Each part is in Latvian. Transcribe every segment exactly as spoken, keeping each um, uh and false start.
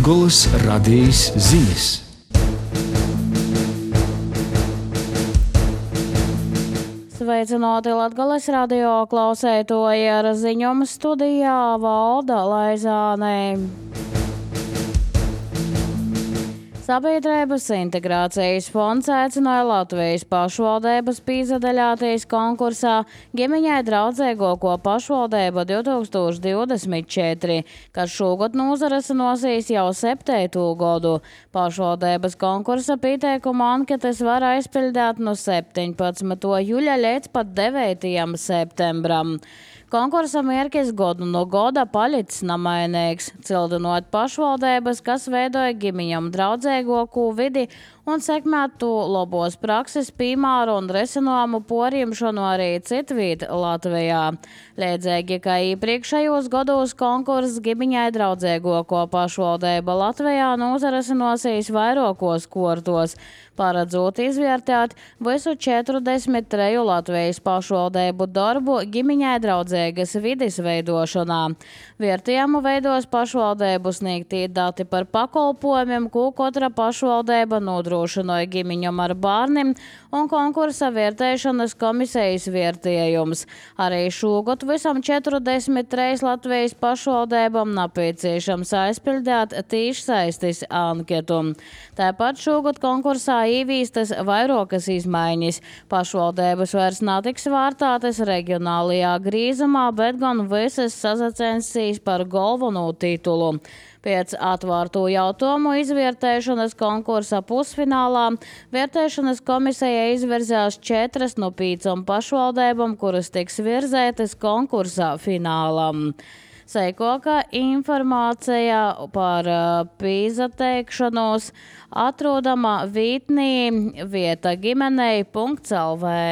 Latgolas radijas ziņas. Sveicināti Latgolas radio klausētoji, ar ziņojumu studijā Valda Laizāne. Sabiedrības integrācijas fonds aicināja Latvijas pašvaldības piedalīties konkursā Ģimeņai draudzīgāko pašvaldību divtūkstoš divdesmit četri, kas šogad nozarasinosies jau septīto gadu. Pašvaldības konkursa pieteikuma anketas var aizpildīt no septiņpadsmitā jūļa līdz pat devītajam septembram. Konkursa mērķis godu no goda palicis namainīgs, cildinot pašvaldības, kas veidoja ģimeņam draudzīgāku vidi un sekmētu labos prakses piemēru un risinājumu porīmšanu arī citviet Latvijā. Līdzīgi kā iepriekšējos gados konkurss Ģimeņai draudzīgāko pašvaldību Latvijā nozarasinosies vairākos kortos, paredzot izvērtēt visu četrdesmit treju Latvijas pašvaldību darbu ģimeņai draudzīgas vides veidošanā. Vērtējumu veidos pašvaldību sniegtie dati par pakalpojumiem, ko katra pašvaldība nodrošināja ģimeņam ar bērniem, un konkursa vērtēšanas komisijas vērtējums. Arī šogad visam četrdesmit trejas Latvijas pašvaldībām nepieciešams aizpildīt tiešsaistes anketu. Tāpat šogad konkursā ieviestas vairākas izmaiņas. Pašvaldības vairs netiks vērtētas reģionālajā grīzumā, bet gan visas sasacensīs par galveno titulu. Pēc atvērto jautājumu izvērtēšanas konkursa pusfinālā vērtēšanas komisija izvirzās četras no piecām pašvaldībām, kuras tiks virzētas konkursa finālam. Seikoka informācija par pīzateikšanos atrodama vītnī vieta ģimenei punkts el vē.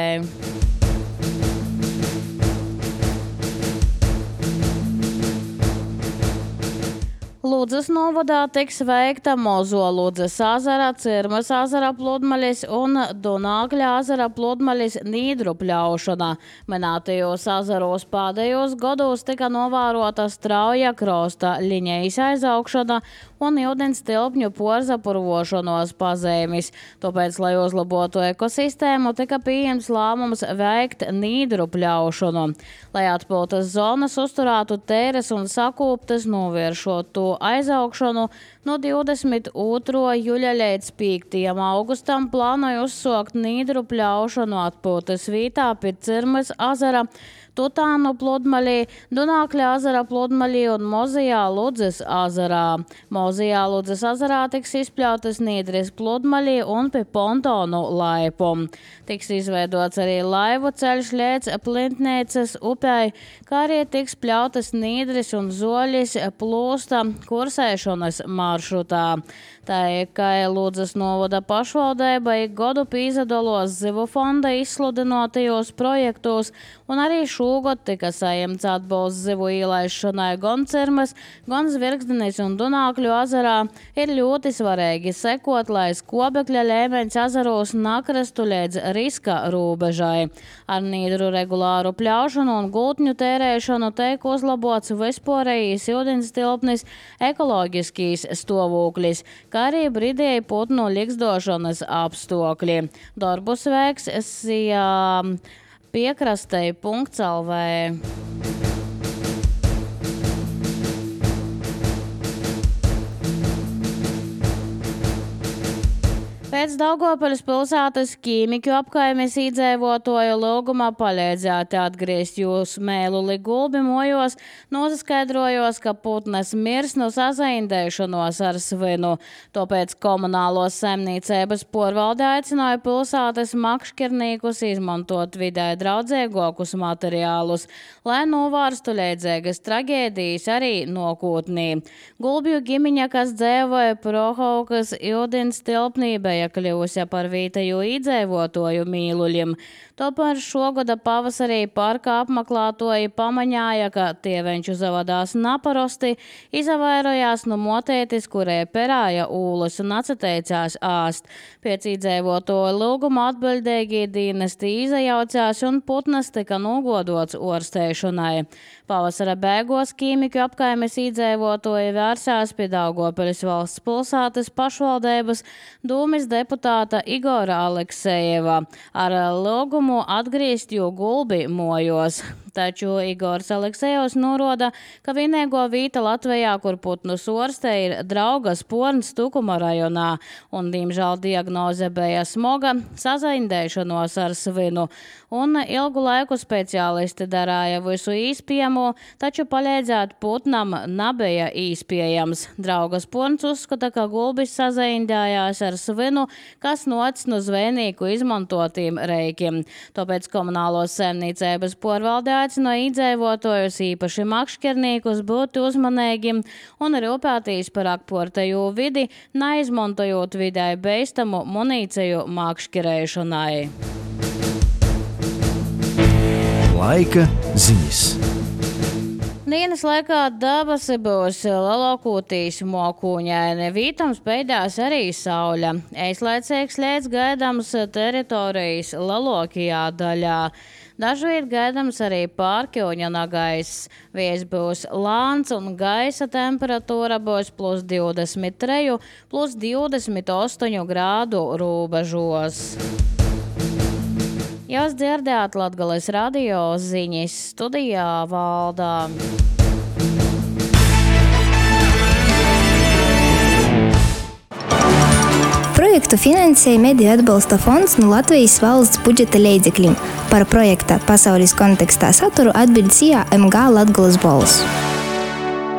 Ludzas novadā tiks veikta Mozo Ludzas ezera, Cirmas ezera pludmaļas un Dunākļa ezera pludmaļas nīdru pļaušana. Minētajos ezeros pēdējos gados tika novērota strauja krosta liņejas aizaugšana un ūdens tilpņu porzapurvošanos pazemes. Tāpēc, lai uzlabotu ekosistēmu, tika pieņemts lēmums veikt nīdru pļaušanu. Lai atpiltas zonas uzturētu tēres un sakūptas, novēršot to aizaugšanu, no divdesmit otrā jūļa līdz piektajam augustam plānoja uzsākt nīdru pļaušanu atpūtas vietā pie Cirmas ezera, Tutānu pludmaļī, Dunākļa ezera pludmaļī un Mozijā Ludzas ezerā. Mozijā Ludzas ezerā tiks izpļautas nīdres pludmaļī un pie pontonu laipu. Tiks izveidots arī laivu ceļš līdz Plintniecas upei, kā arī tiks pļautas nīdres un zoļis plūsta kursēšanas maršrutā. Tā ir, ka Ludzas novada pašvaldība ik godu pīzadalos zivu fonda izsludinotajos projektos, un arī šogad tika saņemts atbalsts zivu ielaišanai gan Cirmas, gan Zvirgzdenes un Dunākļu ezerā. Ir ļoti svarīgi sekot, lai skobekļa līmeņš ezeros nakrastu līdz riska robežai. Ar nīdru regulāru pļaušanu un gultņu tērēšanu tiek uzlabots vispārējais ūdens tilpnis, ekoloģiskīs stāvoklis, kā arī brīdēji putnu likstošanas apstākļi. Darbus veiks sijā piekrastei punkts el vē. Pēc Daugavpils pilsētas ķīmiķu apkaimes iedzīvotāju lūgumā palīdzēt atgriezt jūsu mēluli gulbi mojos, noskaidrojos, ka putnas mirs no sazaindēšanos ar svinu. Tāpēc komunālos saimniecības porvalde aicināja pilsētas makšķernīkus izmantot vidē draudzīgākus materiālus, lai novērstu līdzīgas traģēdijas arī nākotnē. Gulbju ģimeņa, kas dzīvoja Prohaukas ūdens tilpnī, bija kļūsi par vietējo iedzīvotāju mīluļiem. Tomēr šogada pavasarī parka apmeklētāji pamaņāja, ka tievenču zavadās naparosti, izavairojās no motētis, kurai perāja ūlas un atsateicās āst. Pēc iedzīvotāju lūguma atbildīgi dienesti izajaucās un putnas tika nogodots orsteišanai. Pavasara beigās ķīmiku apkaimes iedzīvotāji vērsās pie Daugopiļas valsts pilsētas pašvaldības dūmis deputāta Igora Aleksejeva ar lūgumu atgriezt jo gulbi mojos. Taču Igors Aleksejevs norāda, ka vienīgo vieta Latvijā, kur putnus orstē, ir Draugas porns Tukuma rajonā, un, diemžēl, diagnoze bija smoga sazaindēšanos ar svinu, un ilgu laiku speciālisti darāja visu īspējamo, taču palīdzēt putnam nebija īspējams. Draugas porns uzskata, ka gulbis sazaindējās ar svinu, kas noc no zvejnieku izmantotiem reikiem. Tāpēc komunālos saimniecības porvaldē aicino iedzīvotājus, īpaši makšķerniekus, būt uzmanīgi un rūpēties par apkārtējo vidi, neizmantojot vidē beistamu munīciju makšķerēšanai. Laika ziņas. Dienas laikā dabasi būs lielākoties mokūņaini, vītams beidās arī saule. Īslaicīgs lietus gaidāms teritorijas lielākajā daļā. Dažviet gaidāms arī pārkļūņa nagaiss. Vējs būs lāns un gaisa temperatūra būs plus divdesmit trīs, plus divdesmit astoņi grādu robežos. Jūs dzirdējāt Latgales radio ziņas, studijā Valdā. Projektu finansēja Mediju atbalsta fonds no Latvijas valsts budžeta līdzekļiem. Par projekta pasaules kontekstā saturu atbild S I A M G Latgales balss.